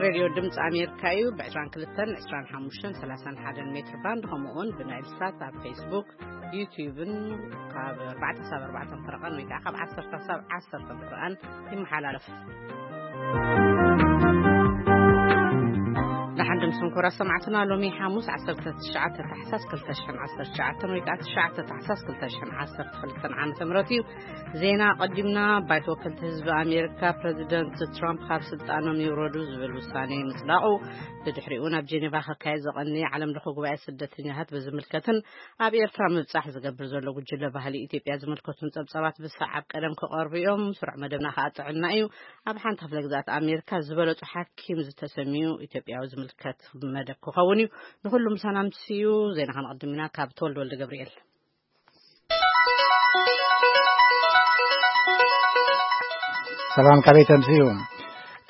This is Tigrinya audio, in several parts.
ሬድዮ ድምፂ ኣሜሪካ እዩ። ብ22፣ 25፣ 31 ሜትር ባንድ፣ ከምኡ እውን ብናይል ሳት ኣብ ፌስቡክ፣ ዩቲዩብን ካብ ኣርባዕተ ክሳብ ኣርባዕተ ፈረቓን ወይ ከዓ ካብ ዓሰርተ ክሳብ ዓሰርተ ፈረቓን ይመሓላለፍ። ደሓን ድምፅን ክቡራት ሰማዕትና፣ ሎሚ ሓሙስ ዓሰርተ ትሽዓተ ታሕሳስ ክልተ ሽሕን ዓሰርተ ትሽዓተን ወይ ከዓ ትሽዓተ ታሕሳስ ክልተ ሽሕን ዓሰርተ ክልተን ዓመተ ምህረት እዩ። ዜና ኣቐዲምና። ባይቶ ወከልቲ ህዝቢ ኣሜሪካ፣ ፕረዚደንት ትራምፕ ካብ ስልጣኖም ይውረዱ ዝብል ውሳኔ ምጽዳቑ፣ ብድሕሪኡ ናብ ጀኔቫ ክካየድ ዝቐነየ ዓለም ለኸ ጉባኤ ስደተኛታት ብዝምልከትን ኣብ ኤርትራ ምብጻሕ ዝገብር ዘሎ ጉጅለ ባህሊ ኢትዮጵያ ዝምልከቱን ጸብጻባት ብሰዓብ ቀደም ክቐርቡ እዮም። ስሩዕ መደብና ከኣ ጥዕና እዩ። ኣብ ሓንቲ ክፍለ ግዝኣት ኣሜሪካ ዝበለጹ ሓኪም ዝተሰምዩ ኢትዮጵያዊ ዝምልከት መደብ ክኸውን እዩ። ንኹሉ ምሳና ምትስዩ። ዜና ከነቐድም ኢና ካብ ተወልደ ወልደ ገብርኤል። ሰላም፣ ካበይ ተምስዩ?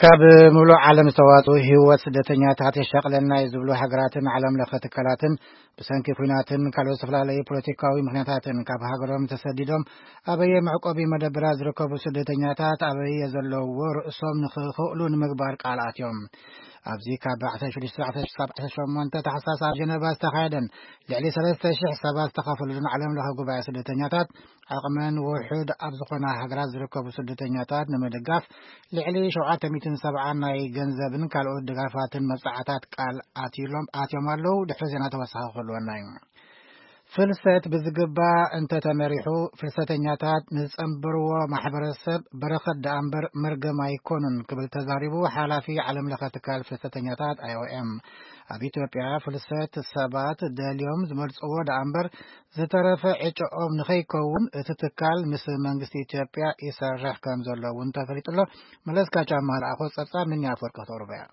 ካብ ምሉእ ዓለም ዝተዋጽኡ ህይወት ስደተኛታት የሻቕለና እዩ ዝብሉ ሃገራትን ዓለም ለኸ ትካላትን ብሰንኪ ኲናትን ካልኦት ዝተፈላለዩ ፖለቲካዊ ምኽንያታትን ካብ ሃገሮም ተሰዲዶም ኣበየ መዕቆቢ መደብራት ዝርከቡ ስደተኛታት ኣበየ ዘለውዎ ርእሶም ንኽኽእሉ ንምግባር ቃል ኣትዮም። ኣብዚ ካብ ዓሰርተ ሽዱሽተ ክሳብ ዓሰርተ ሸሞንተ ታሕሳስ ኣብ ጀነቫ ዝተኻየደን ልዕሊ ሰለስተ ሽሕ ሰባት ዝተኻፈሉን ዓለም ለኸ ጉባኤ ስደተኛታት፣ ዓቕመን ውሑድ ኣብ ዝኾና ሃገራት ዝርከቡ ስደተኛታት ንምድጋፍ ልዕሊ ሸውዓተ ሚእትን ሰብዓን ናይ ገንዘብን ካልኦት ድጋፋትን መብጻዕታት ቃል ኣትዩሎም፣ ኣትዮም ኣለዉ። ድሕሪ ዜና ተወሳኺ ክህልወና እዩ። ፍልሰት ብዝግባእ እንተተመሪሑ፣ ፍልሰተኛታት ንዝጸንበርዎ ማሕበረሰብ በረኸት ደኣ እምበር መርገም ኣይኮኑን ክብል ተዛሪቡ ሓላፊ ዓለም ለኸ ትካል ፍልሰተኛታት ኣይ ኦ ኤም። ኣብ ኢትዮጵያ ፍልሰት ሰባት ደልዮም ዝመርጽዎ ደኣ እምበር ዝተረፈ ዕጨኦም ንኸይከውን እቲ ትካል ምስ መንግስቲ ኢትዮጵያ ይሰርሕ ከም ዘሎ እውን ተፈሊጡ ኣሎ። መለስካቸው ኣማሃ ለኣኾ ጸብጻብ፣ ምንያ ኣፈወርቂ ክተቕርቦ እያ።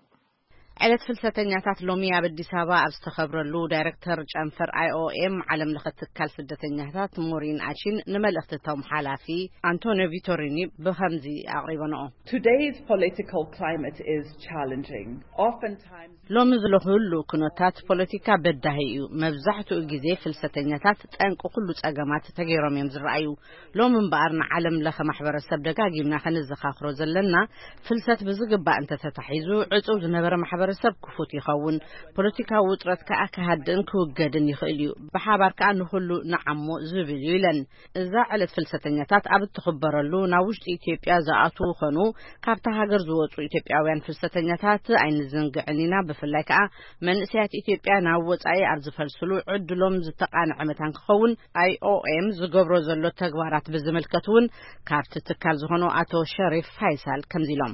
ዕለት ፍልሰተኛታት ሎሚ ኣብ ኣዲስ ኣበባ ኣብ ዝተኸብረሉ፣ ዳይሬክተር ጨንፈር ኣይ ኦ ኤም ዓለም ለኸ ትካል ስደተኛታት ሞሪን ኣቺን ንመልእኽቲ እቶም ሓላፊ ኣንቶኒዮ ቪቶሪኒ ብኸምዚ ኣቕሪበንኦ። Today's political climate is challenging. Oftentimes ሎሚ ዘሎ ህሉው ኩነታት ፖለቲካ በዳሂ እዩ። መብዛሕትኡ ግዜ ፍልሰተኛታት ጠንቂ ኩሉ ጸገማት ተገይሮም እዮም ዝረኣዩ። ሎሚ እምበኣር ንዓለም ለኸ ማሕበረሰብ ደጋጊምና ከነዘኻኽሮ ዘለና፣ ፍልሰት ብዝግባእ እንተተታሒዙ፣ ዕጹው ዝነበረ ማሕበረሰብ ክፉት ይኸውን፣ ፖለቲካዊ ውጥረት ከኣ ክሃድእን ክውገድን ይኽእል እዩ፣ ብሓባር ከኣ ንኹሉ ንዓሞ ዝብል እዩ ኢለን። እዛ ዕለት ፍልሰተኛታት ኣብ እትኽበረሉ፣ ናብ ውሽጢ ኢትዮጵያ ዝኣትዉ ኾኑ ካብታ ሃገር ዝወጹ ኢትዮጵያውያን ፍልሰተኛታት ኣይንዝንግዕን ኢና። ብፍላይ ከኣ መንእሰያት ኢትዮጵያ ናብ ወጻኢ ኣብ ዝፈልስሉ፣ ዕድሎም ዝተቓንዐ መታን ክኸውን ኣይ ኦ ኤም ዝገብሮ ዘሎ ተግባራት ብዝምልከት እውን ካብቲ ትካል ዝኾኑ ኣቶ ሸሪፍ ፋይሳል ከምዚ ኢሎም።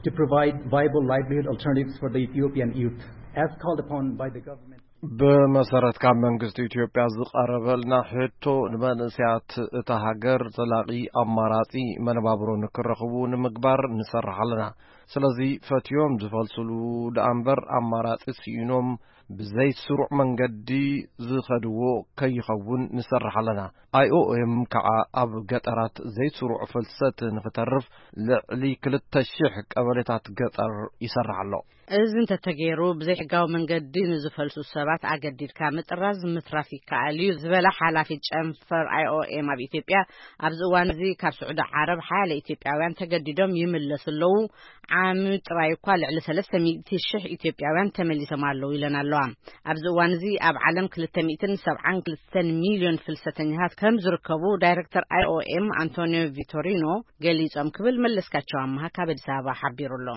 To provide viable livelihood alternatives for the Ethiopian youth, as called upon by the government. ብመሰረት ካብ መንግስቲ ኢትዮጵያ ዝቐረበልና ሕቶ፣ ንመንእሰያት እታ ሃገር ዘላቒ ኣማራጺ መነባብሮ ንክረኽቡ ንምግባር ንሰርሕ ኣለና። ስለዚ ፈትዮም ዝፈልስሉ ደኣ እምበር ኣማራጺ ስኢኖም ብዘይስሩዕ መንገዲ ዝኸድዎ ከይኸውን ንሰርሕ ኣለና። ኣይ ኦ ኤም ከዓ ኣብ ገጠራት ዘይስሩዕ ፍልሰት ንክተርፍ ልዕሊ ክልተ ሽሕ ቀበሌታት ገጠር ይሰርሕ ኣሎ። እዚ እንተተገይሩ፣ ብዘይሕጋዊ መንገዲ ንዝፈልሱ ሰባት ኣገዲድካ ምጥራዝ ምትራፍ ይከኣል እዩ ዝበለ ሓላፊ ጨንፈር ኣይ ኦ ኤም ኣብ ኢትዮጵያ፣ ኣብዚ እዋን እዚ ካብ ስዑዲ ዓረብ ሓያለ ኢትዮጵያውያን ተገዲዶም ይምለሱ ኣለዉ። ዓሚ ጥራይ እኳ ልዕሊ ሰለስተ ሚእቲ ሽሕ ኢትዮጵያውያን ተመሊሶም ኣለዉ ኢለን ኣለዋ። ኣብዚ እዋን እዚ ኣብ ዓለም ክልተ ሚእትን ሰብዓን ክልተን ሚልዮን ፍልሰተኛታት ከም ዝርከቡ ዳይሬክተር ኣይ ኦ ኤም ኣንቶኒዮ ቪቶሪኖ ገሊጾም ክብል መለስካቸው ኣመሃ ካብ ኣዲስ ኣበባ ሓቢሩ ኣሎ።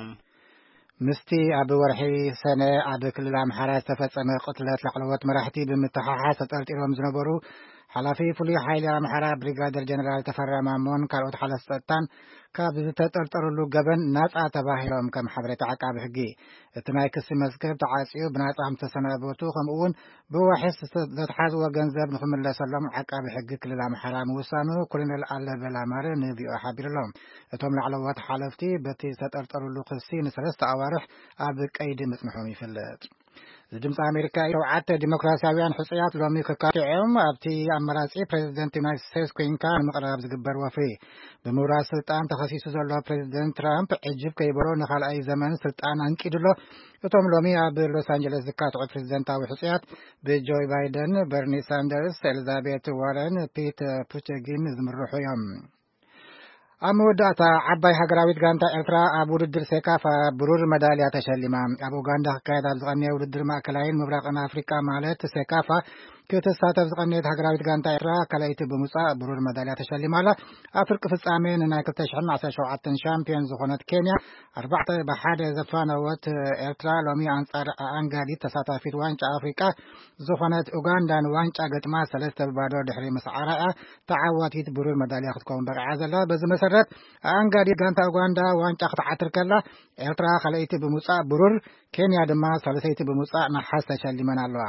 ምስቲ ኣብ ወርሒ ሰነ ኣብ ክልል ኣምሓራ ዝተፈጸመ ቅትለት ላዕለዎት መራሕቲ ብምትሓሓዝ ተጠርጢሮም ዝነበሩ ሓላፊ ፍሉይ ሓይሊ ኣምሓራ ብሪጋደር ጀነራል ተፈራ ማሞን ካልኦት ሓለፍቲ ጸጥታን ካብ ዝተጠርጠሩሉ ገበን ናጻ ተባሂሎም ከም ሓበሬታ ዓቃቢ ሕጊ። እቲ ናይ ክሲ መዝገብ ተዓጽዩ ብናጻ ከም ዝተሰናበቱ፣ ከምኡ እውን ብዋሕስ ዘትሓዝዎ ገንዘብ ንኽምለሰሎም ዓቃቢ ሕጊ ክልል ኣምሓራ ምውሳኑ ኮሎኔል ኣለበል ኣማረ ን ቪ ኦ ሓቢሩ ኣሎ። እቶም ላዕለዎት ሓለፍቲ በቲ ዝተጠርጠሩሉ ክሲ ንሰለስተ ኣዋርሕ ኣብ ቀይዲ ምጽንሖም ይፍለጥ። እዚ ድምፂ ኣሜሪካ እዩ። ሸውዓተ ዲሞክራሲያውያን ሕፁያት ሎሚ ክካትዑ እዮም። ኣብቲ ኣመራፂ ፕሬዚደንት ዩናይትድ ስቴትስ ኮይንካ ንምቕራብ ዝግበር ወፍሪ፣ ብምውራድ ስልጣን ተኸሲሱ ዘሎ ፕሬዚደንት ትራምፕ ዕጅብ ከይበሎ ንኻልኣይ ዘመን ስልጣን ኣንቂዱ ኣሎ። እቶም ሎሚ ኣብ ሎስ ኣንጀለስ ዝካትዑ ፕሬዚደንታዊ ሕፁያት ብጆይ ባይደን፣ በርኒ ሳንደርስ፣ ኤሊዛቤት ዋረን፣ ፒት ቡቲጊግ ዝምርሑ እዮም። ኣብ መወዳእታ፣ ዓባይ ሃገራዊት ጋንታ ኤርትራ ኣብ ውድድር ሴካፋ ብሩር መዳልያ ተሸሊማ። ኣብ ኡጋንዳ ክካየድ ኣብ ዝቐነየ ውድድር ማእከላይን ምብራቕን ኣፍሪቃ ማለት ሴካፋ ክትሳተፍ ዝቐነየት ሃገራዊት ጋንታ ኤርትራ ካልኣይቲ ብምውጻእ ብሩር መዳልያ ተሸሊማ ኣላ። ኣብ ፍርቂ ፍጻሜ ንናይ ክልተ ሽሕን ዓሰርተ ሸውዓተን ሻምፒዮን ዝኾነት ኬንያ ኣርባዕተ ብሓደ ዘፋነወት ኤርትራ፣ ሎሚ ኣንጻር ኣኣንጋዲት ተሳታፊት ዋንጫ ኣፍሪቃ ዝኾነት ኡጋንዳ ንዋንጫ ገጥማ ሰለስተ ብባዶ ድሕሪ ምስዓራ'ያ ተዓዋቲት ብሩር መዳልያ ክትከውን በቂዓ ዘላ። በዚ መሰረት ኣኣንጋዲት ጋንታ ኡጋንዳ ዋንጫ ክትዓትር ከላ፣ ኤርትራ ካልኣይቲ ብምውጻእ ብሩር፣ ኬንያ ድማ ሳልሰይቲ ብምውጻእ ነሓስ ተሸሊመን ኣለዋ።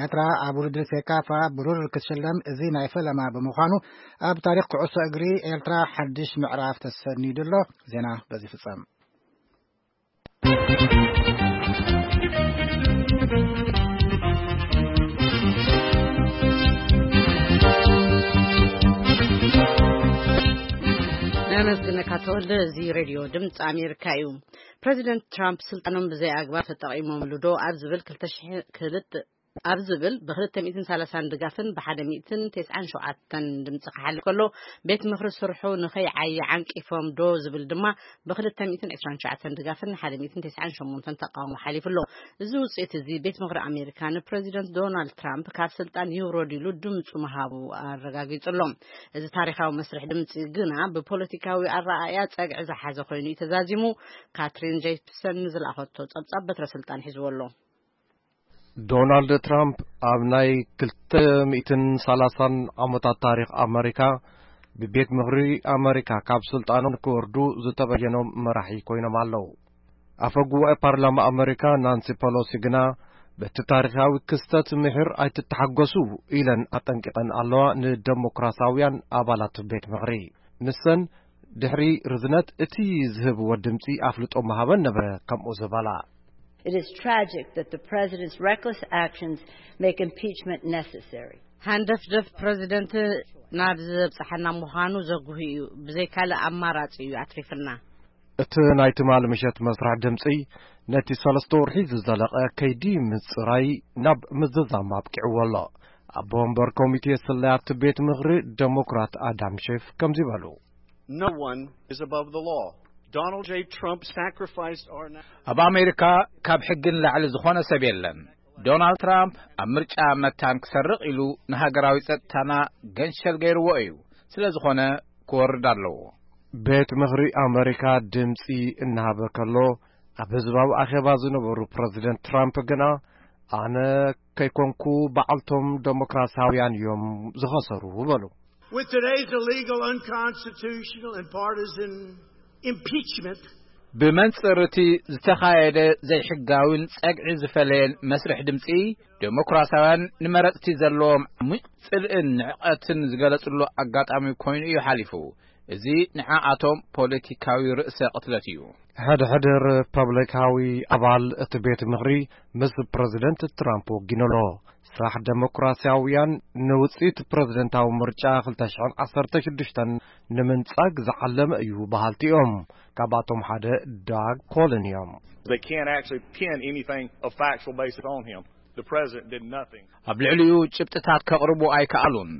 ኤርትራ ኣብ ውድድር ሴካፋ ብሩር ክትሽለም እዚ ናይ ፈለማ ብምዃኑ፣ ኣብ ታሪኽ ኩዕሶ እግሪ ኤርትራ ሓድሽ ምዕራፍ ተሰኒዱ ኣሎ። ዜና በዚ ፍጸም። ነመስግነካ ተወልደ። እዚ ሬድዮ ድምፂ ኣሜሪካ እዩ። ፕሬዚደንት ትራምፕ ስልጣኖም ብዘይ ኣግባብ ተጠቒሞምሉ ዶ ኣብ ዝብል ክልተ ሽሕ ክልተ ኣብ ዝብል ብ230 ድጋፍን ብ197 ድምፂ ክሓልፍ ከሎ፣ ቤት ምኽሪ ስርሑ ንኸይዓይ ዓንቂፎም ዶ ዝብል ድማ ብ229 ድጋፍን ብ198 ተቃውሞ ሓሊፉ ኣሎ። እዚ ውፅኢት እዚ ቤት ምኽሪ ኣሜሪካ ንፕሬዚደንት ዶናልድ ትራምፕ ካብ ስልጣን ይውረድ ኢሉ ድምፁ ምሃቡ ኣረጋጊጹ ኣሎ። እዚ ታሪኻዊ መስርሕ ድምፂ ግና ብፖለቲካዊ ኣረኣእያ ጸግዒ ዝሓዘ ኮይኑ እዩ ተዛዚሙ። ካትሪን ጄፕሰን ንዝለኣኸቶ ጸብጻብ በትረ ስልጣን ሒዝዎ ኣሎ። ዶናልድ ትራምፕ ኣብ ናይ ክልተ ሚእትን ሰላሳን ዓመታት ታሪኽ ኣመሪካ፣ ብቤት ምኽሪ ኣመሪካ ካብ ስልጣኖም ክወርዱ ዝተበየኖም መራሒ ኮይኖም ኣለዉ። ኣፈ ጉባኤ ፓርላማ ኣመሪካ ናንሲ ፐሎሲ ግና፣ በቲ ታሪኻዊ ክስተት ምሒር ኣይትተሓጎሱ ኢለን ኣጠንቂቐን ኣለዋ ንደሞክራሳውያን ኣባላት ቤት ምኽሪ። ንሰን ድሕሪ ርዝነት እቲ ዝህብዎ ድምፂ ኣፍልጦ ምሃበን ነበረ ከምኡ ዝበላ። It is tragic that the president's reckless actions make impeachment necessary. ሃንደፍደፍ ፕረዚደንት ናብ ዘብጽሓና ምዃኑ ዘጉሂ እዩ። ብዘይ ካልእ ኣማራጺ እዩ ኣትሪፍና። እቲ ናይ ትማሊ ምሸት መስርሕ ድምጺ ነቲ ሰለስተ ወርሒ ዝዘለቐ ከይዲ ምጽራይ ናብ ምዝዛም ኣብቂዕዎ ኣሎ። ኣቦ ወንበር ኮሚቴ ስለያት ቤት ምኽሪ ደሞክራት ኣዳም ሼፍ ከምዚ በሉ። No one is above the law. Donald J. Trump sacrificed our na- ኣብ ኣሜሪካ ካብ ሕጊ ንላዕሊ ዝኾነ ሰብ የለን። ዶናልድ ትራምፕ ኣብ ምርጫ መታን ክሰርቕ ኢሉ ንሃገራዊ ጸጥታና ገንሸል ገይርዎ እዩ። ስለ ዝኾነ ክወርድ ኣለዎ። ቤት ምኽሪ ኣመሪካ ድምፂ እናሃበ ከሎ፣ ኣብ ህዝባዊ ኣኼባ ዝነበሩ ፕረዚደንት ትራምፕ ግና፣ ኣነ ከይኮንኩ በዓልቶም ደሞክራሲያውያን እዮም ዝኸሰሩ በሉ። With today's illegal, unconstitutional, and partisan impeachment, ብመንጽር እቲ ዝተኻየደ ዘይሕጋዊን ጸግዒ ዝፈለየን መስርሕ ድምጺ፣ ዴሞክራሲያውያን ንመረጽቲ ዘለዎም ዓሚቕ ጽልእን ንዕቐትን ዝገለጽሉ ኣጋጣሚ ኮይኑ እዩ ሓሊፉ። እዚ ንዓኣቶም ፖለቲካዊ ርእሰ ቅትለት እዩ። ሕድሕድ ሪፐብሊካዊ ኣባል እቲ ቤት ምኽሪ ምስ ፕረዚደንት ትራምፕ ወጊኑ ኣሎ። ስራሕ ደሞክራሲያውያን ንውጽኢት ፕረዚደንታዊ ምርጫ ክልተ ሽሕን ዓሰርተ ሽዱሽተን ንምንጻግ ዝዓለመ እዩ በሃልቲ እዮም። ካብኣቶም ሓደ ዳግ ኮልን እዮም። They can't actually pin anything of factual basis on him. The president did nothing. ኣብ ልዕሊኡ ጭብጥታት ከቕርቡ ኣይከኣሉን።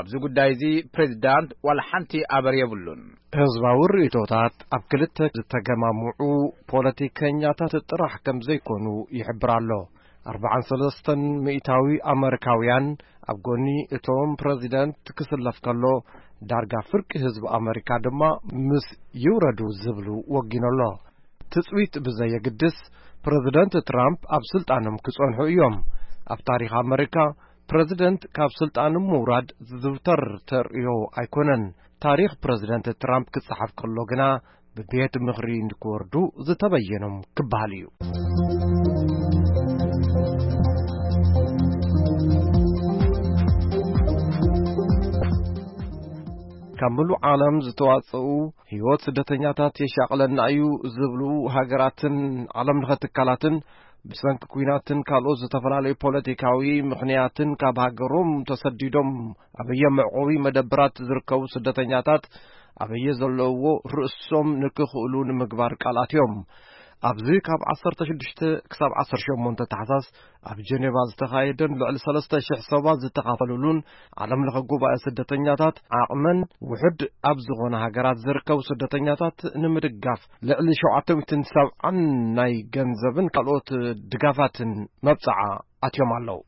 ኣብዚ ጉዳይ እዚ ፕሬዚዳንት ዋላ ሓንቲ ኣበር የብሉን። ህዝባዊ ርእይቶታት ኣብ ክልተ ዝተገማምዑ ፖለቲከኛታት ጥራሕ ከም ዘይኮኑ ይሕብር ኣሎ። ኣርባዓን ሰለስተን ሚእታዊ ኣመሪካውያን ኣብ ጎኒ እቶም ፕረዚደንት ክስለፍ ከሎ፣ ዳርጋ ፍርቂ ህዝቢ ኣመሪካ ድማ ምስ ይውረዱ ዝብሉ ወጊኑ ኣሎ። ትጽቢት ብዘየግድስ፣ ፕረዚደንት ትራምፕ ኣብ ስልጣኖም ክጸንሑ እዮም። ኣብ ታሪኽ ኣመሪካ፣ ፕረዚደንት ካብ ስልጣኑ ምውራድ ዝዝውተር ተርእዮ ኣይኮነን። ታሪኽ ፕረዚደንት ትራምፕ ክጸሓፍ ከሎ ግና፣ ብቤት ምኽሪ ንክወርዱ ዝተበየኖም ክበሃል እዩ። ካብ ምሉእ ዓለም ዝተዋጽኡ፣ ህይወት ስደተኛታት የሻቕለና እዩ ዝብሉ ሃገራትን ዓለም ለኸ ትካላትን፣ ብሰንኪ ኲናትን ካልኦት ዝተፈላለዩ ፖለቲካዊ ምኽንያትን ካብ ሃገሮም ተሰዲዶም ኣበየ መዕቆቢ መደበራት ዝርከቡ ስደተኛታት ኣበየ ዘለውዎ ርእሶም ንክኽእሉ ንምግባር ቃል ኣትዮም። ኣብዚ ካብ ዓሰርተ ሽዱሽተ ክሳብ ዓሰርተ ሸሞንተ ታሕሳስ ኣብ ጀኔቫ ዝተኻየደን ልዕሊ ሰለስተ ሽሕ ሰባት ዝተኻፈሉሉን ዓለም ለኸ ጉባኤ ስደተኛታት ዓቕመን ውሑድ ኣብ ዝኾነ ሃገራት ዝርከቡ ስደተኛታት ንምድጋፍ ልዕሊ ሸውዓተ ሚእትን ሰብዓን ናይ ገንዘብን ካልኦት ድጋፋትን መብጽዓ ኣትዮም ኣለዉ።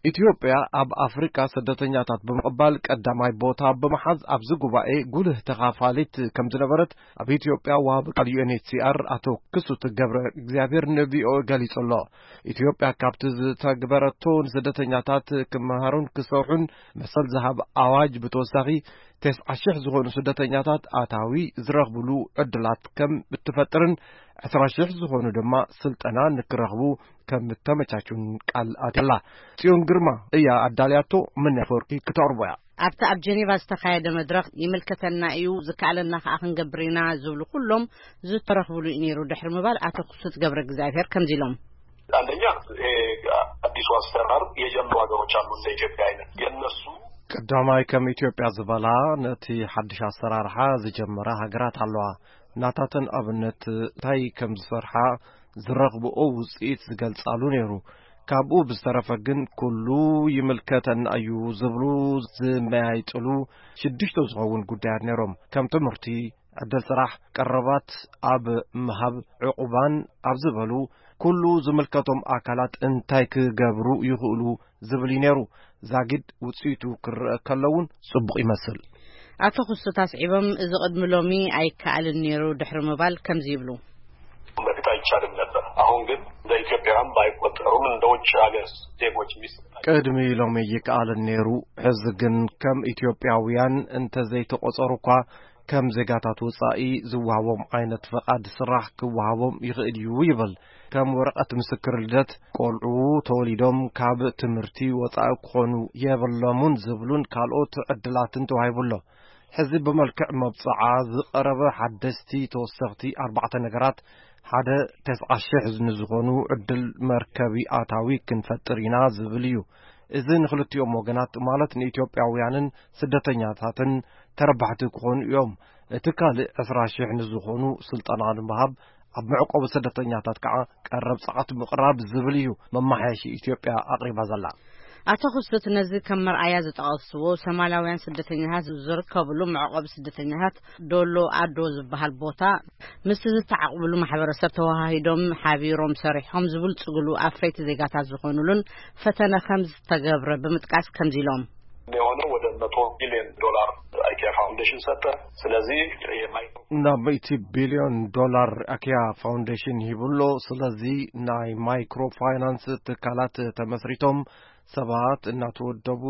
ኢትዮጵያ ኣብ ኣፍሪካ ስደተኛታት ብምቕባል ቀዳማይ ቦታ ብምሓዝ ኣብዚ ጉባኤ ጉልህ ተኻፋሊት ከም ዝነበረት ኣብ ኢትዮጵያ ወሃቢ ቃል ዩ ኤን ኤች ሲ ኣር ኣቶ ክሱት ገብረ እግዚኣብሔር ን ቪ ኦ ኤ ገሊጹ ኣሎ። ኢትዮጵያ ካብቲ ዝተግበረቶ ንስደተኛታት ክመሃሩን ክሰርሑን መሰል ዝሃብ ኣዋጅ ብተወሳኺ ተስዓ ሽሕ ዝኾኑ ስደተኛታት ኣታዊ ዝረኽብሉ ዕድላት ከም እትፈጥርን ዕስራ ሽሕ ዝኾኑ ድማ ስልጠና ንክረኽቡ ከም እተመቻቹን ቃል ኣትያ ኣላ። ጽዮን ግርማ እያ ኣዳልያቶ፣ መን ኣፈወርቂ ክተቕርቦ እያ። ኣብቲ ኣብ ጀኔቫ ዝተኻየደ መድረኽ ይምልከተና እዩ፣ ዝከኣለና ከኣ ክንገብር ኢና ዝብሉ ኩሎም ዝተረኽብሉ እዩ ነይሩ ድሕሪ ምባል ኣቶ ክሱት ገብረ እግዚኣብሔር ከምዚ ኢሎም። አንደኛ፣ ይሄ አዲሱ አሰራር የጀመሩ ሀገሮች አሉ፣ እንደ ኢትዮጵያ አይነት። የእነሱ ቀዳማይ ከም ኢትዮጵያ ዝበላ ነቲ ሓድሽ ኣሰራርሓ ዝጀመራ ሃገራት ኣለዋ። ናታተን ኣብነት እንታይ ከም ዝሰርሓ ዝረኽብኦ ውጽኢት ዝገልጻሉ ነይሩ። ካብኡ ብዝተረፈ ግን ኩሉ ይምልከተና እዩ ዝብሉ ዝመያይጥሉ ሽዱሽተ ዝኸውን ጉዳያት ነይሮም። ከም ትምህርቲ፣ ዕድል ስራሕ፣ ቀረባት ኣብ ምሃብ፣ ዕቑባን ኣብ ዝበሉ ኩሉ ዝምልከቶም ኣካላት እንታይ ክገብሩ ይኽእሉ ዝብል እዩ ነይሩ። ዛጊድ ውጽኢቱ ክረአ ከሎ እውን ጽቡቕ ይመስል። ኣቶ ክሱት ኣስዒቦም፣ እዚ ቅድሚ ሎሚ ኣይከኣልን ነይሩ ድሕሪ ምባል ከምዚ ይብሉ። በፊት አይቻልም ነበር። አሁን ግን እንደ ኢትዮጵያውያን ባይቆጠሩም እንደ ውጭ ሀገር ዜጎች የሚሰጣቸው ቅድሚ ሎሚ ይከኣልን ነይሩ። ሕዚ ግን ከም ኢትዮጵያውያን እንተዘይተቖጸሩ እኳ ከም ዜጋታት ወጻኢ ዝወሃቦም ዓይነት ፈቓድ ስራሕ ክወሃቦም ይኽእል እዩ ይብል። ከም ወረቐት ምስክር ልደት፣ ቆልዑ ተወሊዶም ካብ ትምህርቲ ወጻኢ ክኾኑ የብሎምን ዝብሉን ካልኦት ዕድላትን ተዋሂቡ ኣሎ። ሕዚ ብመልክዕ መብጽዓ ዝቐረበ ሓደስቲ ተወሰኽቲ ኣርባዕተ ነገራት፣ ሓደ፣ ተስዓ ሽሕ ንዝኾኑ ዕድል መርከቢ ኣታዊ ክንፈጥር ኢና ዝብል እዩ። እዚ ንክልቲኦም ወገናት፣ ማለት ንኢትዮጵያውያንን ስደተኛታትን ተረባሕቲ ክኾኑ እዮም። እቲ ካልእ ዕስራ ሽሕ ንዝኾኑ ስልጠና ንምሃብ ኣብ መዕቆቢ ስደተኛታት ከዓ ቀረብ ጸዓት ምቕራብ ዝብል እዩ መማሓየሺ ኢትዮጵያ ኣቕሪባ ዘላ። ኣቶ ክሱት ነዚ ከም መርኣያ ዝጠቐስዎ ሶማላውያን ስደተኛታት ዝርከብሉ መዕቆቢ ስደተኛታት ዶሎ ኣዶ ዝበሃል ቦታ ምስቲ ዝተዓቕብሉ ማሕበረሰብ ተወሃሂዶም ሓቢሮም ሰሪሖም ዝብልጽግሉ ኣፍረይቲ ዜጋታት ዝኾኑሉን ፈተነ ከም ዝተገብረ ብምጥቃስ ከምዚ ኢሎም። የሆነ ወደ መቶ ቢሊዮን ዶላር አይኪያ ፋውንዴሽን ሰጠ። ስለዚህ የማይክሮ ናብ ሚእቲ ቢልዮን ዶላር ኣኪያ ፋውንዴሽን ሂቡሎ። ስለዚ ናይ ማይክሮ ፋይናንስ ትካላት ተመስሪቶም ሰባት እናተወደቡ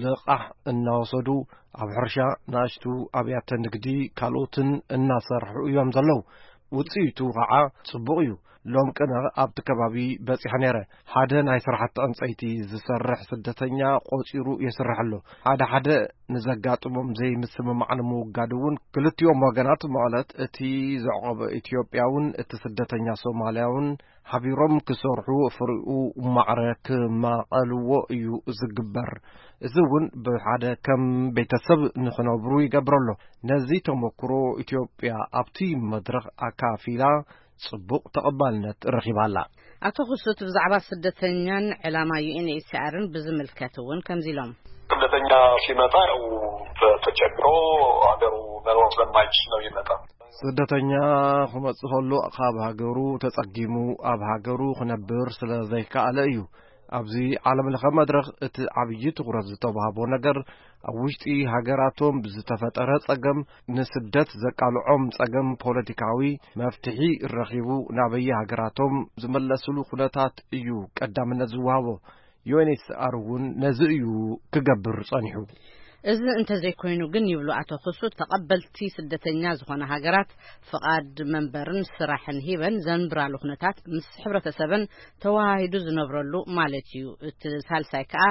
ልቓሕ እናወሰዱ ኣብ ሕርሻ ንኣሽቱ ኣብያተ ንግዲ ካልኦትን እናሰርሑ እዮም ዘለዉ። ውፅኢቱ ከዓ ፅቡቕ እዩ። ሎም ቅነ ኣብቲ ከባቢ በፂሐ ነይረ። ሓደ ናይ ስራሕቲ ዕንፀይቲ ዝሰርሕ ስደተኛ ቆፂሩ የስርሕ ኣሎ። ሓደ ሓደ ንዘጋጥሞም ዘይምስምማዕ ንምውጋድ እውን ክልቲኦም ወገናት ማለት እቲ ዘዕቆበ ኢትዮጵያውን እቲ ስደተኛ ሶማልያውን ሓቢሮም ክሰርሑ ፍሪኡ ማዕረ ክማቐልዎ እዩ ዝግበር። እዚ እውን ብሓደ ከም ቤተሰብ ንኽነብሩ ይገብር ኣሎ። ነዚ ተመክሮ ኢትዮጵያ ኣብቲ መድረኽ ኣካፊላ ጽቡቕ ተቐባልነት ረኺባ ኣላ። ኣቶ ክሱት ብዛዕባ ስደተኛን ዕላማ ዩ ኤን ኤች ሲ ኣርን ብዝምልከት እውን ከምዚ ኢሎም። ስደተኛ ሲመጣ ያው ተ- ተቸግሮ ሀገሩ መኖር ስለማይችል ነው ይመጣ። ስደተኛ ክመጽእ ከሎ ካብ ሃገሩ ተጸጊሙ ኣብ ሃገሩ ክነብር ስለ ዘይከኣለ እዩ። ኣብዚ ዓለም ለኸ መድረኽ እቲ ዓብዪ ትኹረት ዝተዋህቦ ነገር ኣብ ውሽጢ ሃገራቶም ብዝተፈጠረ ጸገም ንስደት ዘቃልዖም ጸገም ፖለቲካዊ መፍትሒ ረኺቡ ናበየ ሃገራቶም ዝመለስሉ ኩነታት እዩ ቀዳምነት ዝወሃቦ። ዩ ኤን ኤች ሲ ኣር እውን ነዚ እዩ ክገብር ጸኒሑ። እዚ እንተዘይኮይኑ ግን ይብሉ ኣቶ ክሱት፣ ተቐበልቲ ስደተኛ ዝኾነ ሃገራት ፍቓድ መንበርን ስራሕን ሂበን ዘንብራሉ ኩነታት ምስ ሕብረተሰበን ተወሃሂዱ ዝነብረሉ ማለት እዩ። እቲ ሳልሳይ ከኣ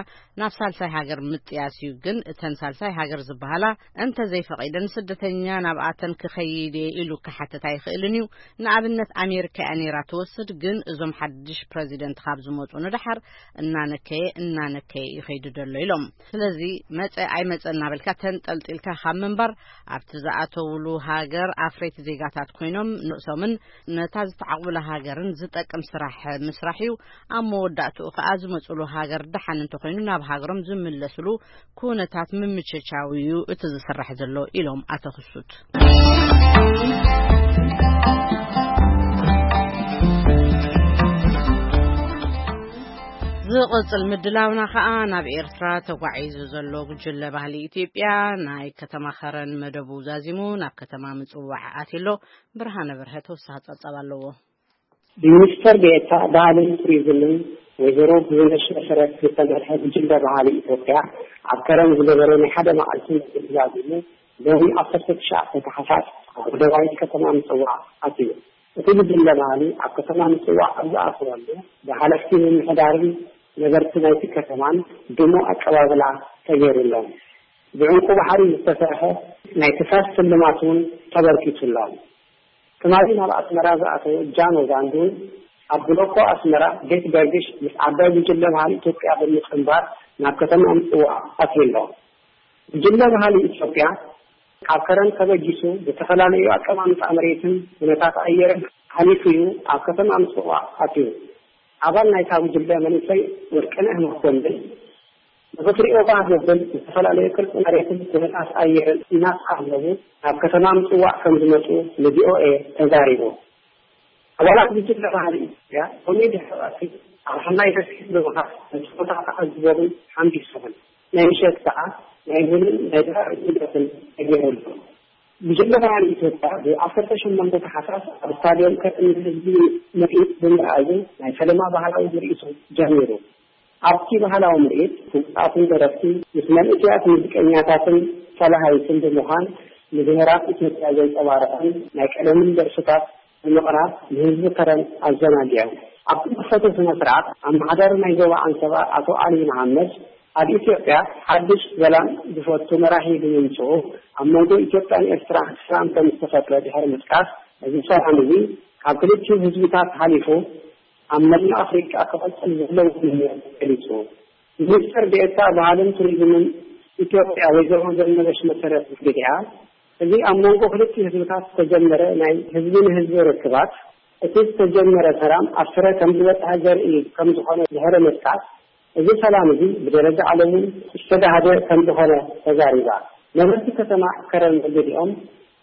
ናብ ሳልሳይ ሃገር ምጥያስ እዩ። ግን እተን ሳልሳይ ሃገር ዝበሃላ እንተዘይፈቒደን ስደተኛ ናብኣተን ክኸይድ እየ ኢሉ ክሓትት ኣይኽእልን እዩ። ንኣብነት ኣሜሪካ እያ ነይራ ትወስድ፣ ግን እዞም ሓድሽ ፕረዚደንት ካብ ዝመጹ ንደሓር እናነከየ እናነከየ ይኸይዱ ደሎ ኢሎም። ስለዚ መጸ ኣይመ እናበልካ ተንጠልጢልካ ካብ ምንባር፣ ኣብቲ ዝኣተውሉ ሃገር ኣፍረይቲ ዜጋታት ኮይኖም ንርእሶምን ነታ ዝተዓቑብላ ሃገርን ዝጠቅም ስራሕ ምስራሕ እዩ። ኣብ መወዳእትኡ ከኣ ዝመጽሉ ሃገር ደሓን እንተኾይኑ ናብ ሃገሮም ዝምለስሉ ኩነታት ምምችቻው እዩ እቲ ዝስራሕ ዘሎ ኢሎም ኣቶ ክሱት። ዝቕጽል ምድላውና ከኣ ናብ ኤርትራ ተጓዒዙ ዘሎ ጉጅለ ባህሊ ኢትዮጵያ ናይ ከተማ ኸረን መደቡ ዛዚሙ ናብ ከተማ ምጽዋዕ ኣትዩ ኣሎ። ብርሃነ በርሀ ተወሳኺ ጸብጻብ ኣለዎ። ብሚኒስተር ዴኤታ ባህልን ቱሪዝምን ወይዘሮ ብዙነሽ መሰረት ዝተመርሐ ጉጅለ ባህሊ ኢትዮጵያ ኣብ ከረን ዝገበሮ ናይ ሓደ መዓልቲ መደብ ዛዚሙ ሎሚ ዓሰርተ ትሽዓተ ታሕሳስ ኣብ ደቡባዊት ከተማ ምጽዋዕ ኣትዩ። እቲ ጉጅለ ባህሊ ኣብ ከተማ ምጽዋዕ ኣብ ዝኣተወሉ ብሓለፍቲ ምምሕዳርን ነበርቲ ናይቲ ከተማን ድሙቕ ኣቀባብላ ተገይሩሎም። ብዕንቁ ባሕሪ ዝተሰርሐ ናይ ክሳድ ስልማት እውን ተበርኪቱሎም። ትማሊ ናብ ኣስመራ ዝኣተወ ጃኖ ዛንዱን ኣብ ብሎኮ ኣስመራ ቤት ገርግሽ ምስ ዓባይ ጉጅለ ባህሊ ኢትዮጵያ ብምጽንባር ናብ ከተማ ምጽዋዕ ኣትዩ ኣሎ። ጉጅለ ባህሊ ኢትዮጵያ ካብ ከረን ተበጊሱ ዝተፈላለዩ ኣቀማምጣ መሬትን ኩነታት ኣየርን ሓሊፉ እዩ ኣብ ከተማ ምጽዋዕ ኣትዩ። ኣባል ናይታ ጉጅለ መንእሰይ ወርቅነህ መኮንን ንኽትሪኦ ባህ ዘብል ዝተፈላለዩ ቅርጺ መሬትን ኩነታት ኣየርን እናተዓዘቡ ናብ ከተማ ምጽዋዕ ከም ዝመጹ ንቪኦኤ ተዛሪቡ። ኣባላት ጉጅለ ባህሊ ኢትዮጵያ ሎሚ ድሕሪ ቀትሪ ኣብ ሓናይ ደሴት ብምኻድ ነቲ ቦታ ተዓዚቦምን ሓምቢሶምን። ናይ ምሸት ከኣ ናይ ቡንን ናይ ድራር ውደትን ተገይሩሎም። ጉጅለ ባህሊ ኢትዮጵያ ብዓሰርተ ሸሞንተ ታሕሳስ ኣብ ስታድዮም ከጥኒ ህዝቢ ምርኢት ብምርኣዩ ናይ ፈለማ ባህላዊ ምርኢቱ ጀሚሩ። ኣብቲ ባህላዊ ምርኢት ፍሉጣትን ደረፍቲ ምስ መንእሰያት ሙዚቀኛታትን ተላሃይትን ብምዃን ንብሄራት ኢትዮጵያ ዘንጸባርቕን ናይ ቀደምን ደርፍታት ብምቕራብ ንህዝቢ ከረን ኣዘናጊዖም። ኣብቲ መኽፈቲ ስነ ስርዓት ኣመሓዳሪ ናይ ዞባ ዓንሰባ ኣቶ ኣሊ መሓመድ ኣብ ኢትዮጵያ ሓድሽ ሰላም ዝፈቱ መራሒ ብምምፅኡ ኣብ መንጎ ኢትዮጵያን ኤርትራን ሰላም ከም ዝተፈጥረ ድሕሪ ምጥቃስ፣ እዚ ሰላም እዚ ካብ ክልቲኡ ህዝብታት ሓሊፉ ኣብ መላእ ኣፍሪቃ ክቐፅል ዘለዎ ምንዮት ገሊፁ። ሚኒስትር ዴኤታ ባህልን ቱሪዝምን ኢትዮጵያ ወይዘሮ ዘነበሽ መሰረት ብግዲኣ፣ እዚ ኣብ መንጎ ክልቲኡ ህዝብታት ዝተጀመረ ናይ ህዝቢ ንህዝቢ ርክባት፣ እቲ ዝተጀመረ ሰላም ኣብ ፍረ ከም ዝበፅሐ ዘርኢ ከም ዝኾነ ድሕሪ ምጥቃስ፣ እዚ ሰላም እዚ ብደረጃ ዓለም እውን ዝተጋህደ ከም ዝኾነ ተዛሪባ። ነበርቲ ከተማ ከረን ብግዲኦም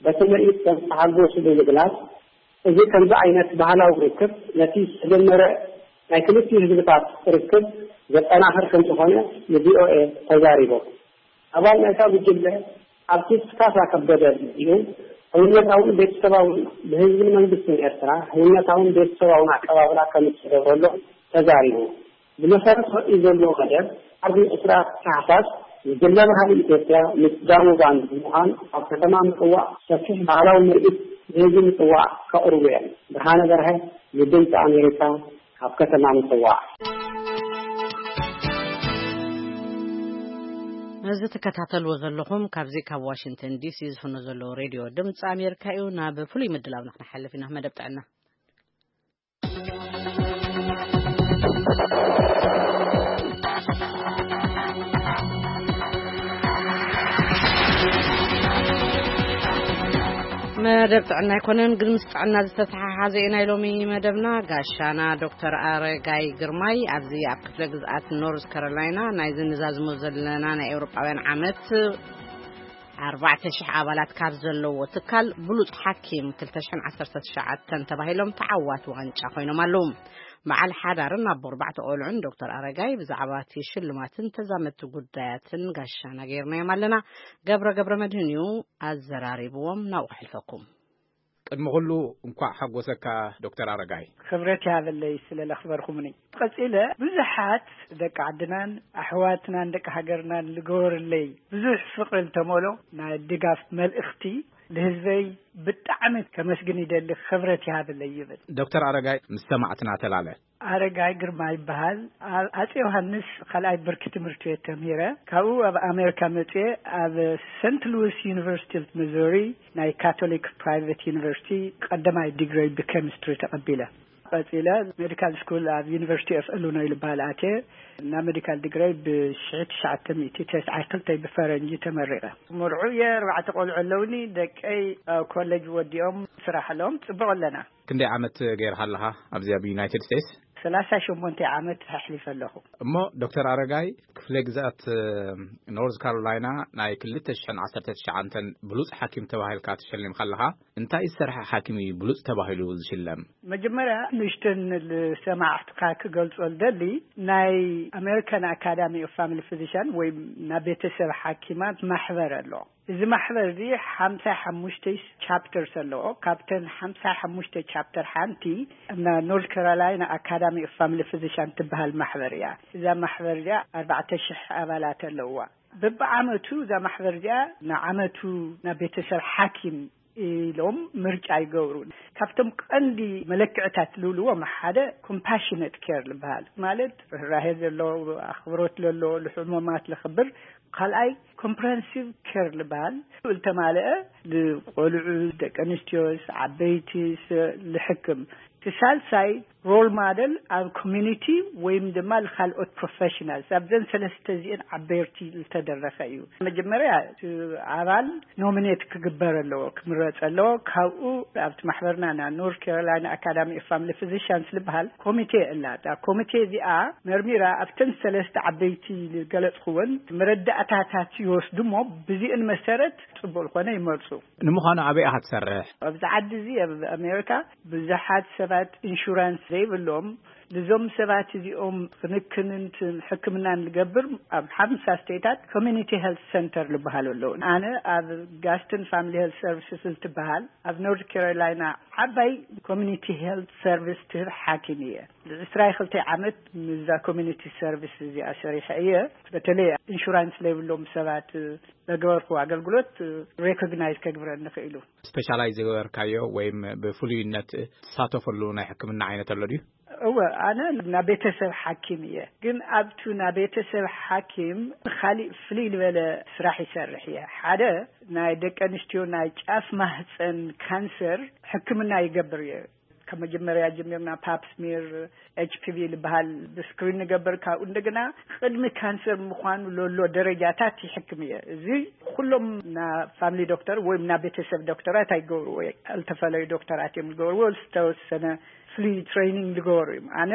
በቲ ምርኢት ከም ዝተሓጎሱ ብምግላፅ፣ እዚ ከምዚ ዓይነት ባህላዊ ርክብ ነቲ ዝተጀመረ ናይ ክልቲኡ ህዝብታት ርክብ ዘጠናኽር ከም ዝኾነ ንቪኦኤ ተዛሪቦም። ኣባል ናይታ ጉጅለ ኣርቲስት ካሳ ከበደ ብግዲኡ፣ ህውነታውን ቤተሰባውን ብህዝብን መንግስትን ኤርትራ ህውነታውን ቤተሰባውን ኣቀባብላ ከም ዝተገብረሎም ተዛሪቡ። ብመሰረት ወጺኡ ዘሎ መደብ፣ ዓርቢ ዕስራ ታሕሳስ፣ ጉጅለ ባህሊ ኢትዮጵያ ምስ ዳሞ ባንድ ብምዃን ኣብ ከተማ ምጽዋዕ ሰፊሕ ባህላዊ ምርኢት ንህዝቢ ምጽዋዕ ከቕርቡ እዮም። ብርሃነ በርሀ ንድምፂ ኣሜሪካ ካብ ከተማ ምጽዋዕ። እዚ ትከታተልዎ ዘለኹም ካብዚ ካብ ዋሽንግተን ዲሲ ዝፍኖ ዘሎ ሬድዮ ድምፂ ኣሜሪካ እዩ። ናብ ፍሉይ ምድላውና ክንሓልፍ ኢና፣ መደብ ጥዕና። መደብ ጥዕና ኣይኮነን፣ ግን ምስ ጥዕና ዝተተሓሓዘ እዩ ናይ ሎሚ መደብና። ጋሻና ዶክተር ኣረጋይ ግርማይ ኣብዚ ኣብ ክፍለ ግዝኣት ኖርዝ ካሮላይና ናይዚ ንዛዝሞ ዘለና ናይ ኤውሮጳውያን ዓመት ኣርባዕተ ሽሕ ኣባላት ካብ ዘለዎ ትካል ብሉጽ ሓኪም ክልተ ሽሕን ዓሰርተ ትሽዓተን ተባሂሎም ተዓዋቲ ዋንጫ ኮይኖም ኣለዉ። በዓል ሓዳርን ኣቦ ኣርባዕተ ቆልዑን ዶክተር ኣረጋይ ብዛዕባ እቲ ሽልማትን ተዛመድቲ ጉዳያትን ጋሻና ገይርናዮም ኣለና። ገብረ ገብረ መድህን እዩ ኣዘራሪብዎም። ናብኡ ከሕልፈኩም። ቅድሚ ኩሉ እንኳዕ ሓጎሰካ ዶክተር ኣረጋይ። ክብረት ይሃበለይ ስለ ለኽበርኩምኒ። ቀጺለ ብዙሓት ደቂ ዓድናን ኣሕዋትናን ደቂ ሃገርናን ልገበርለይ ብዙሕ ፍቕሪ ልተመሎ ናይ ድጋፍ መልእኽቲ ልህዝበይ ብጣዕሚ ከመስግን ይደሊ፣ ክብረት ይሃበለይ ይብል። ዶክተር ኣረጋይ ምስ ሰማዕትና ተላለ። ኣረጋይ ግርማ ይበሃል። ኣብ ኣጼ ዮሃንስ ካልኣይ ብርኪ ትምህርቲ ቤት ተምሂረ። ካብኡ ኣብ ኣሜሪካ መጽየ ኣብ ሰንት ሉዊስ ዩኒቨርሲቲ ኦፍ ሚዙሪ ናይ ካቶሊክ ፕራይቬት ዩኒቨርሲቲ ቀዳማይ ዲግሪ ብኬሚስትሪ ተቐቢለ። ቀጺለ ሜዲካል ስኩል ኣብ ዩኒቨርሲቲ ኦፍ ኢሉኖይ ዝበሃል ኣትየ። እና ሜዲካል ዲግረይ ብሽሕቲ ትሽዓተ ሚእቲ ተስዓን ክልተን ብፈረንጂ ተመሪቐ። መርዑ እየ፣ ኣርባዕተ ቆልዑ ኣለውኒ። ደቀይ ኣብ ኮሌጅ ወዲኦም ስራሕ ኣለዎም። ጽቡቕ ኣለና። ክንደይ ዓመት ገይርካ ኣለኻ ኣብዚ ኣብ ዩናይትድ ስቴትስ? ሰላሳ ሸሞንተ ዓመት ኣሕሊፈ ኣለኹ። እሞ ዶክተር ኣረጋይ፣ ክፍለ ግዛት ኖርዝ ካሮላይና ናይ ክልተ ሽሕን ዓሰርተ ትሽዓተን ብሉጽ ሓኪም ተባሂልካ ተሸሊምካ ኣለኻ። እንታይ ዝሰርሐ ሓኪም እዩ ብሉጽ ተባሂሉ ዝሽለም? መጀመርያ ንእሽተን ንሰማዕትካ ክገልጾ ዝደሊ፣ ናይ ኣሜሪካን ኣካዳሚ ኦፍ ፋሚሊ ፊዚሽን ወይ ናይ ቤተሰብ ሓኪማት ማሕበር ኣሎ። እዚ ማሕበር እዚ ሓምሳ ሓሙሽተ ቻፕተርስ ኣለዎ። ካብተን ሓምሳ ሓሙሽተ ቻፕተር ሓንቲ እና ኖርት ካሮላይና ኣካዳሚ ኦፍ ፋሚሊ ፊዚሽን ትበሃል ማሕበር እያ። እዛ ማሕበር እዚኣ ኣርባዕተ ሽሕ ኣባላት ኣለዋ። በብዓመቱ እዛ ማሕበር እዚኣ ንዓመቱ ናብ ቤተሰብ ሓኪም ኢሎም ምርጫ ይገብሩ። ካብቶም ቀንዲ መለክዕታት ዝብልዎም ሓደ ኮምፓሽነት ኬር ዝበሃል፣ ማለት ርህራሄ ዘሎ፣ ኣኽብሮት ዘሎ፣ ንሕሙማት ለኽብር። ካልኣይ ኮምፕረሄንሲቭ ኬር ዝበሃል፣ ዝተማልአ፣ ንቆልዑ፣ ደቂ ኣንስትዮስ፣ ዓበይቲስ ልሕክም። እቲ ሳልሳይ ሮል ማደል ኣብ ኮሚኒቲ ወይም ድማ ካልኦት ፕሮፌሽናልስ። ኣብዘን ሰለስተ እዚአን ዓበይቲ ዝተደረኸ እዩ። መጀመርያ እቲ ኣባል ኖሚኔት ክግበር ኣለዎ፣ ክምረጽ ኣለዎ። ካብኡ ኣብቲ ማሕበርና ና ኖርት ካሮላይና ኣካዳሚ ኦፍ ፋሚሊ ፊዚሽንስ ዝበሃል ኮሚቴ ኣላ። እታ ኮሚቴ እዚኣ መርሚራ ኣብተን ሰለስተ ዓበይቲ ዝገለጽኩወን መረዳእታታት ይወስዱ እሞ ብዚአን መሰረት ጽቡቕ ዝኾነ ይመርጹ። ንምዃኑ ኣበይ ኢኻ ትሰርሕ? ኣብዚ ዓዲ እዚ ኣብ ኣሜሪካ ብዙሓት ሰባት ኢንሹራንስ ዘይብሎም፣ ንዞም ሰባት እዚኦም ክንክንን ትን-፣ ሕክምናን ዝገብር ኣብ ሓምሳ ስቴታት ኮሚኒቲ ሄልት ሰንተር ዝበሃሉ ኣለዉ። ኣነ ኣብ ጋስትን ፋሚሊ ሄልት ሰርቪስስ እንትበሃል ኣብ ኖርት ካሮላይና ዓባይ ኮሚኒቲ ሄልት ሰርቪስ ትህብ ሓኪም እየ። ዕስራ ክልተ ዓመት ምስዛ ኮሚኒቲ ሰርቪስ እዚኣ ሰሪሐ እየ። በተለይ ኢንሹራንስ ዘይብሎም ሰባት ለገበርኩ ኣገልግሎት ሬኮግናይዝ ከግብረኒ ክኢሉ። ስፔሻላይዝ ዝገበርካዮ ወይም ብፍሉይነት ትሳተፈሉ ናይ ሕክምና ዓይነት ኣሎ ድዩ? እወ፣ ኣነ ናብ ቤተሰብ ሓኪም እየ። ግን ኣብቱ ናብ ቤተሰብ ሓኪም ካሊእ ፍልይ ዝበለ ስራሕ ይሰርሕ እየ። ሓደ ናይ ደቂ ኣንስትዮ ናይ ጫፍ ማህፀን ካንሰር ሕክምና ይገብር እየ። ካብ መጀመርያ ጀሚርና ፓፕ ስሚር፣ ኤች ፒ ቪ ዝበሃል ብስክሪን ንገብር። ካብኡ እንደገና ቅድሚ ካንሰር ምዃኑ ለሎ ደረጃታት ይሕክም እየ። እዚ ኩሎም ና ፋሚሊ ዶክተር ወይ ና ቤተሰብ ዶክተራት ኣይገብርዎ። ዝተፈለዩ ዶክተራት እዮም ዝገብርዎ። ዝተወሰነ ፍሉይ ትሬኒንግ ዝገበሩ እዮም። ኣነ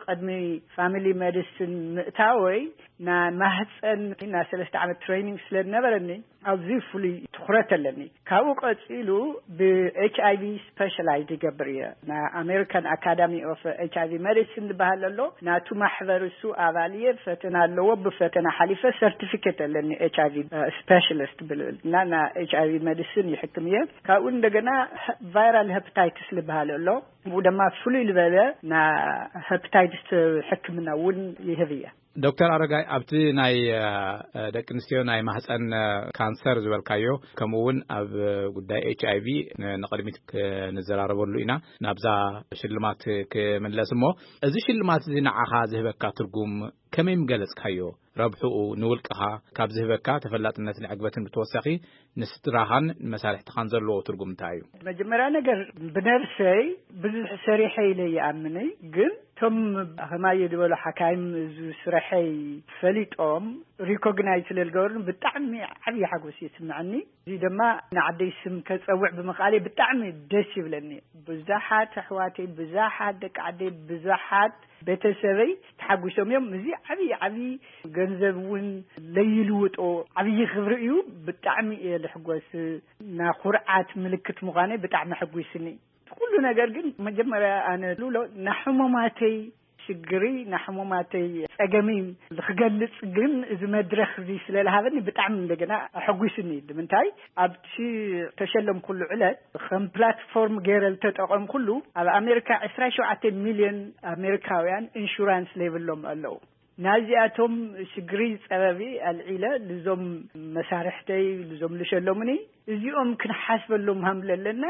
ቅድሚ ፋሚሊ ሜዲሲን ምእታወይ ና ማህፀን ና ሰለስተ ዓመት ትሬኒንግ ስለ ዝነበረኒ ኣብዚ ፍሉይ ትኹረት ኣለኒ። ካብኡ ቀፂሉ ብ ኤች ኣይ ቪ ስፔሻላይዝ ይገብር እየ። ና ኣሜሪካን ኣካዳሚ ኦፍ ኤች ኣይ ቪ ሜዲሲን ዝበሃል ኣሎ። ናቱ ማሕበር እሱ ኣባል እየ። ፈተና ኣለዎ። ብፈተና ሓሊፈ ሰርቲፊኬት ኣለኒ ኤች ኣይ ቪ ስፔሻሊስት ብልብል እና ና ኤች ኣይ ቪ ሜዲሲን ይሕክም እየ። ካብኡ እንደገና ቫይራል ሄፓታይትስ ዝበሃል ኣሎ። ብኡ ድማ ፍሉይ ዝበለ ና ሄፓታይትስ ሕክምና እውን ይህብ እየ። ዶክተር ኣረጋይ፣ ኣብቲ ናይ ደቂ ኣንስትዮ ናይ ማህፀን ካንሰር ዝበልካዮ፣ ከምኡ እውን ኣብ ጉዳይ ኤች ኣይ ቪ ንቕድሚት ክንዘራረበሉ ኢና። ናብዛ ሽልማት ክምለስ እሞ፣ እዚ ሽልማት እዚ ንዓኻ ዝህበካ ትርጉም ከመይ ምገለጽካዮ? ረብሕኡ ንውልቅኻ ካብ ዝህበካ ተፈላጥነትን ዕግበትን ብተወሳኺ ንስድራኻን ንመሳርሕትኻን ዘለዎ ትርጉም እንታይ እዩ? መጀመርያ ነገር ብነብሰይ ብዙሕ ሰሪሐ ኢለ ይኣምንይ፣ ግን እቶም ከማየ ዝበሉ ሓካይም እዚ ስረሐይ ፈሊጦም ሪኮግናይዝ ስለ ዝገበሩን ብጣዕሚ ዓብዪ ሓጎስ ይስምዐኒ። እዚ ድማ ንዓደይ ስም ከጸውዕ ብምኽኣለይ ብጣዕሚ ደስ ይብለኒ። ብዙሓት ኣሕዋተይ፣ ብዙሓት ደቂ ዓደይ፣ ብዙሓት ቤተሰበይ ተሓጒሶም እዮም። እዚ ዓብዪ ዓብዪ ገንዘብ እውን ለይልውጦ ዓብዪ ክብሪ እዩ። ብጣዕሚ እየ ልሕጎስ። ና ኩርዓት ምልክት ምዃነይ ብጣዕሚ ኣሐጒስኒ። ኩሉ ነገር ግን መጀመርያ ኣነ ልብሎ ናሕሙማተይ ሽግሪ ናሕሙማተይ ጸገሚ ክገልጽ ግን እዚ መድረኽ እዚ ስለ ዝሃበኒ ብጣዕሚ እንደገና ኣሐጒስኒ። ንምንታይ ኣብቲ ተሸለምኩሉ ዕለት ከም ፕላትፎርም ገይረ ዝተጠቐምኩሉ ኣብ ኣሜሪካ ዕስራ ሸውዓተ ሚልዮን ኣሜሪካውያን ኢንሹራንስ ዘይብሎም ኣለዉ። ናዚኣቶም ሽግሪ ጸበቢ ኣልዒለ ልዞም መሳርሕተይ ልዞም ልሸለሙኒ እዚኦም ክንሓስበሎም ሃምለ ኣለና።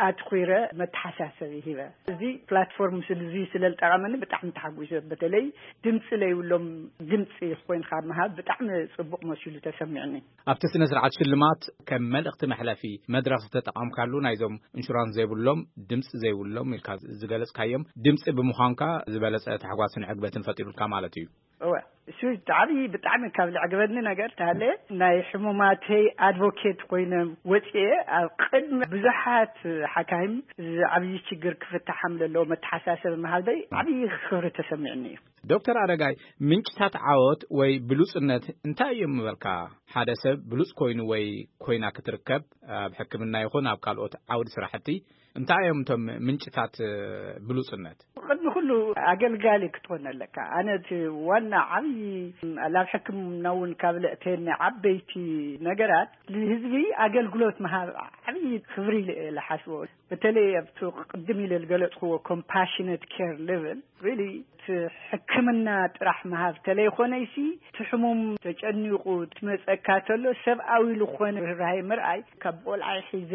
ኣትኩረ መተሓሳሰቢ ሂበ። እዚ ፕላትፎርም ስልዚ ስለ ዝጠቐመኒ ብጣዕሚ ተሓጒሰ። በተለይ ድምፂ ለይብሎም ድምፂ ኮይንካ ምሃብ ብጣዕሚ ፅቡቕ መሲሉ ተሰሚዕኒ። ኣብቲ ስነ ስርዓት ሽልማት ከም መልእኽቲ መሕለፊ መድረኽ ዝተጠቐምካሉ ናይዞም ኢንሹራንስ ዘይብሎም ድምፂ ዘይብሎም ኢልካ ዝገለፅካዮም ድምፂ ብምዃንካ ዝበለፀ ታሕጓስን ዕግበትን ፈጢሩልካ ማለት እዩ። እወ፣ እሱ ዓብዪ ብጣዕሚ ካብ ዘዕገበኒ ነገር ተሃለ ናይ ሕሙማተይ ኣድቮኬት ኮይነ ወፅኤ ኣብ ቅድሚ ብዙሓት ሓካይም እዚ ዓብዪ ችግር ክፍታሕ ከም ዘለዎ መተሓሳሰቢ መሃበይ ዓብዪ ክብሪ ተሰሚዕኒ እዩ። ዶክተር ኣረጋይ፣ ምንጭታት ዓወት ወይ ብሉጽነት እንታይ እዮም ምበልካ? ሓደ ሰብ ብሉጽ ኮይኑ ወይ ኮይና ክትርከብ ኣብ ሕክምና ይኹን ኣብ ካልኦት ዓውዲ ስራሕቲ እንታይ እዮም እቶም ምንጭታት ብሉጽነት? ቅድሚ ኩሉ ኣገልጋሊ ክትኾን ኣለካ። ኣነ እቲ ዋና ዓብዪ ላብ ሕክምና እውን ካብ ለእተየኒ ዓበይቲ ነገራት ንህዝቢ ኣገልግሎት ምሃብ ዓብዪ ክብሪ ኢለ እየ ዝሓስቦ። በተለይ ኣብቲ ቅድም ኢለ ዝገለጽክዎ ኮምፓሽነት ኬር ሌቨል ሪሊ እቲ ሕክምና ጥራሕ ምሃብ ተለይኮነይሲ እቲ ሕሙም ተጨኒቑ ትመጸካ ተሎ ሰብኣዊ ዝኾነ ርህራሄ ምርኣይ ካብ ቆልዓይ ሒዘ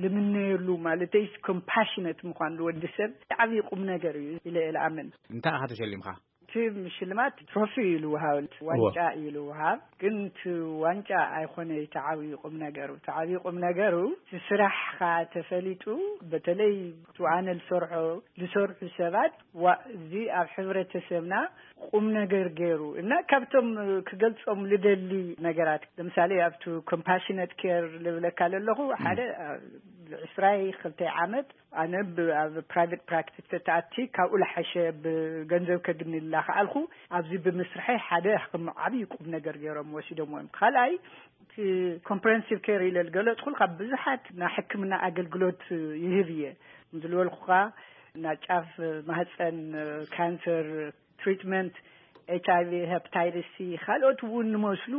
ልምነየሉ ማለተይስ ኮምፓሽነት ምዃን ንወዲ ሰብ ዓብዪ ቁም ነገር እዩ ኢለ እየ ልኣምን። እንታይ ኢኻ ተሸሊምካ? እቲ ሽልማት ትሮፊ እዩ ልውሃብ፣ ዋንጫ እዩ ልውሃብ። ግን እቲ ዋንጫ ኣይኮነ እቲ ዓብዪ ቁም ነገሩ። እቲ ዓብዪ ቁም ነገሩ እቲ ስራሕኻ ተፈሊጡ በተለይ እቲ ኣነ ልሰርሖ ልሰርሑ ሰባት ዋ እዚ ኣብ ሕብረተሰብና ቁም ነገር ገይሩ እና ካብቶም ክገልጾም ልደሊ ነገራት ለምሳሌ ኣብቲ ኮምፓሽነት ኬር ልብለካ ለለኹ ሓደ ዕስራይ ክልተ ዓመት ኣነ ኣብ ፕራይቬት ፕራክቲስ ተተኣቲ ካብኡ ለሓሸ ብገንዘብ ከግንላ ከኣልኩ ኣብዚ ብምስርሐይ ሓደ ከም ዓብዪ ቁም ነገር ገይሮም ወሲዶም እዮም። ካልኣይ እቲ ኮምፕረንሲቭ ኬር ኢለ ዝገለጽኩልካ ብዙሓት ናይ ሕክምና ኣገልግሎት ይህብ እየ ዝልበልኩኻ ናይ ጫፍ ማህፀን ካንሰር ትሪትመንት ኤች ኣይ ቪ ሄፓታይተስ ሲ ካልኦት እውን ንመስሉ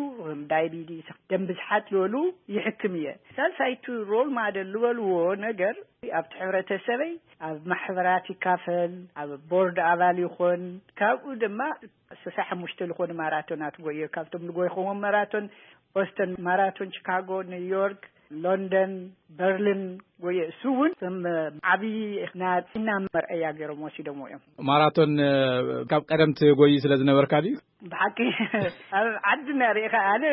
ዳይቢዲስ ደም ብዝሓት ዝበሉ ይሕክም እየ። ሳልሳይቲ ሮል ማደል ዝበልዎ ነገር ኣብቲ ሕብረተሰበይ ኣብ ማሕበራት ይካፈል፣ ኣብ ቦርድ ኣባል ይኾን። ካብኡ ድማ ስሳ ሓሙሽተ ዝኾኑ ማራቶናት ጎየ ካብቶም ዝጎይኸዎም ማራቶን ቦስተን ማራቶን ቺካጎ ኒውዮርክ ሎንደን በርሊን ጎየ እሱ እውን ከም ዓብዪ ናፅና መርአያ ገይሮም ወሲዶሞ እዮም። ማራቶን ካብ ቀደም ትጎይ ስለ ዝነበርካ ድዩ? ብሓቂ ኣብ ዓድና ርኢኻ ኣነ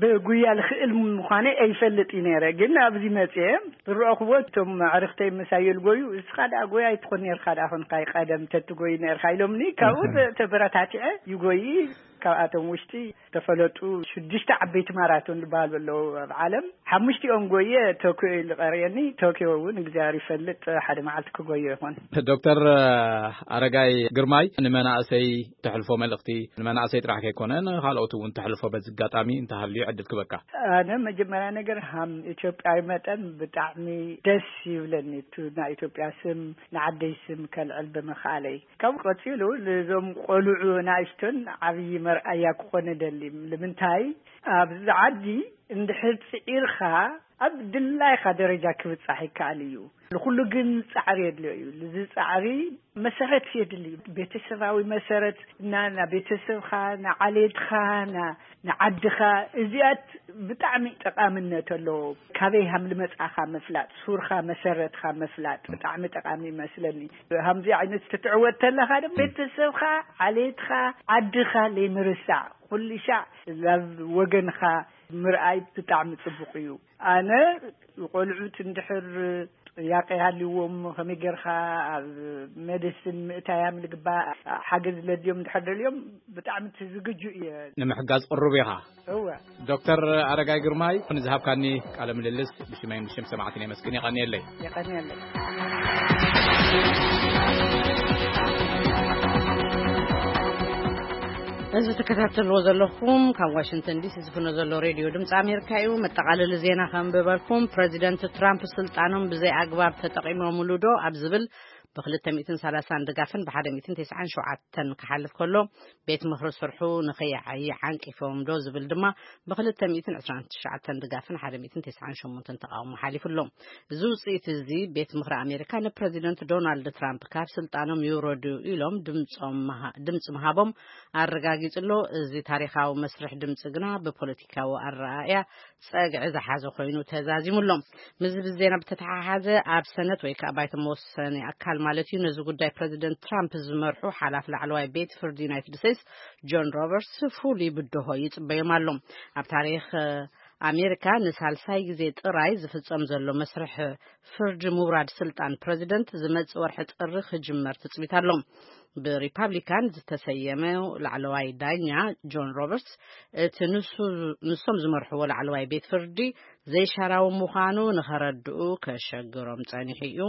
ብጉያ ልኽእል ምዃነ ኣይፈልጥ እዩ ነይረ ግን ኣብዚ መፅየ ዝረእኽዎ እቶም ኣዕርኽተይ ምሳይ ልጎዩ እስኻ ደኣ ጎያ ኣይትኾን ነርካ ደኣ ኾንካ ቀደም ተትጎይ ነርካ ኢሎምኒ ካብኡ ተበረታቲዐ ይጎይ። ካብኣቶም ውሽጢ ተፈለጡ ሽዱሽተ ዓበይቲ ማራቶን ዝበሃሉ ኣለዉ ኣብ ዓለም ሓሙሽቲኦም ጎየ ቶኪዮ እዩ ዝቐርየኒ። ቶኪዮ እውን እግዚኣብሔር ይፈልጥ ሓደ መዓልቲ ክጎዮ ይኾን። ዶክተር ኣረጋይ ግርማይ ንመናእሰይ ተሕልፎ መልእኽቲ ንመናእሰይ ጥራሕ ከይኮነ ንካልኦት እውን ተሕልፎ በዚ ኣጋጣሚ እንተሃልዩ ዕድል ክበካ። ኣነ መጀመርያ ነገር ሃም ኢትዮጵያዊ መጠን ብጣዕሚ ደስ ይብለኒ እቲ ናይ ኢትዮጵያ ስም ንዓደይ ስም ከልዕል ብምኽኣለይ። ካብ ቀፂሉ ንዞም ቆልዑ ናእሽቶን ዓብዪ መርኣያ ክኾነ ደሊ ንምንታይ ኣብዚ ዓዲ እንድሕር ፅዒርካ ኣብ ድላይካ ደረጃ ክብፃሕ ይከኣል እዩ። ንኩሉ ግን ፃዕሪ የድልዮ እዩ። እዚ ፃዕሪ መሰረት የድሊ እዩ። ቤተሰባዊ መሰረት እና ና ቤተሰብካ ንዓሌትካ ንዓድኻ እዚኣት ብጣዕሚ ጠቓምነት ኣለዎ። ካበይ ሃም ልመፃኻ ምፍላጥ ሱርካ መሰረትካ ምፍላጥ ብጣዕሚ ጠቓሚ ይመስለኒ። ሃምዚ ዓይነት ክትዕወት ተለኻ ደ ቤተሰብካ ዓሌትካ ዓድኻ ለይምርሳዕ ኩሉ ሻዕ ናብ ወገንኻ ምርኣይ ብጣዕሚ ፅቡቕ እዩ። ኣነ ቆልዑት እንድሕር ጥያቄ ሃልዎም ከመይ ጌርካ ኣብ ሜዲሲን ምእታያም ልግባእ ሓገዝ ለድዮም እንድሕር ደልዮም ብጣዕሚ ዝግጁ እየ። ንምሕጋዝ ቅሩብ ኢኻ። እወ። ዶክተር ኣረጋይ ግርማይ ንዝሃብካኒ ቃለ ምልልስ ብሽመይን ብሽም ሰማዕትን የመስግን። የቐንየለይ። የቐንየለይ። እዚ ትከታተልዎ ዘለኹም ካብ ዋሽንግተን ዲሲ ዝፍኖ ዘሎ ሬድዮ ድምፂ ኣሜሪካ እዩ። መጠቓለሊ ዜና ከንብበልኩም። ፕረዚደንት ትራምፕ ስልጣኖም ብዘይ ኣግባብ ተጠቒሞምሉ ዶ ኣብ ዝብል ብ230ን ድጋፍን ብ197ን ክሓልፍ ከሎ፣ ቤት ምኽሪ ስርሑ ንኸይዓዪ ዓንቂፎም ዶ ዝብል ድማ ብ229ን ድጋፍን 198ን ተቓውሞ ሓሊፉ ኣሎ። እዚ ውጽኢት እዚ ቤት ምኽሪ ኣሜሪካ ንፕረዚደንት ዶናልድ ትራምፕ ካብ ስልጣኖም ይውረዱ ኢሎም ድምጾም ምሃ-፣ ድምጺ ምሃቦም ኣረጋጊጹ ኣሎ። እዚ ታሪኻዊ መስርሕ ድምጺ ግና ብፖለቲካዊ ኣረኣእያ ጸግዒ ዝሓዘ ኮይኑ ተዛዚሙ ኣሎ። ምስ እዚ ዜና ብተተሓሓዘ፣ ኣብ ሰነት ወይ ከዓ ባይቶ መወሰኒ ኣካል ማለት እዩ፣ ነዚ ጉዳይ ፕረዚደንት ትራምፕ ዝመርሑ ሓላፍ ላዕለዋይ ቤት ፍርዲ ዩናይትድ ስቴትስ ጆን ሮበርትስ ፍሉይ ብድሆ ይጽበዮም ኣሎ። ኣብ ታሪኽ ኣሜሪካ ንሳልሳይ ግዜ ጥራይ ዝፍጸም ዘሎ መስርሕ ፍርዲ ምውራድ ስልጣን ፕረዚደንት ዝመጽእ ወርሒ ጥሪ ክጅመር ትጽቢት ኣሎ። ብሪፓብሊካን ዝተሰየመ ላዕለዋይ ዳኛ ጆን ሮበርትስ፣ እቲ ንሱ፣ ንሶም ዝመርሕዎ ላዕለዋይ ቤት ፍርዲ ዘይሻራዊ ምዃኑ ንኸረድኡ ከሸግሮም ጸኒሑ እዩ።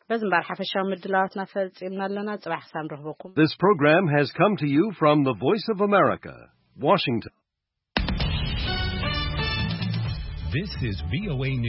በዚ እምበር ሓፈሻዊ ምድላዋትና ፈጺምና ኣለና። ጽባሕ ክሳብ ንረኽበኩም። This program has come to you from the Voice of America, Washington. This is V O A News.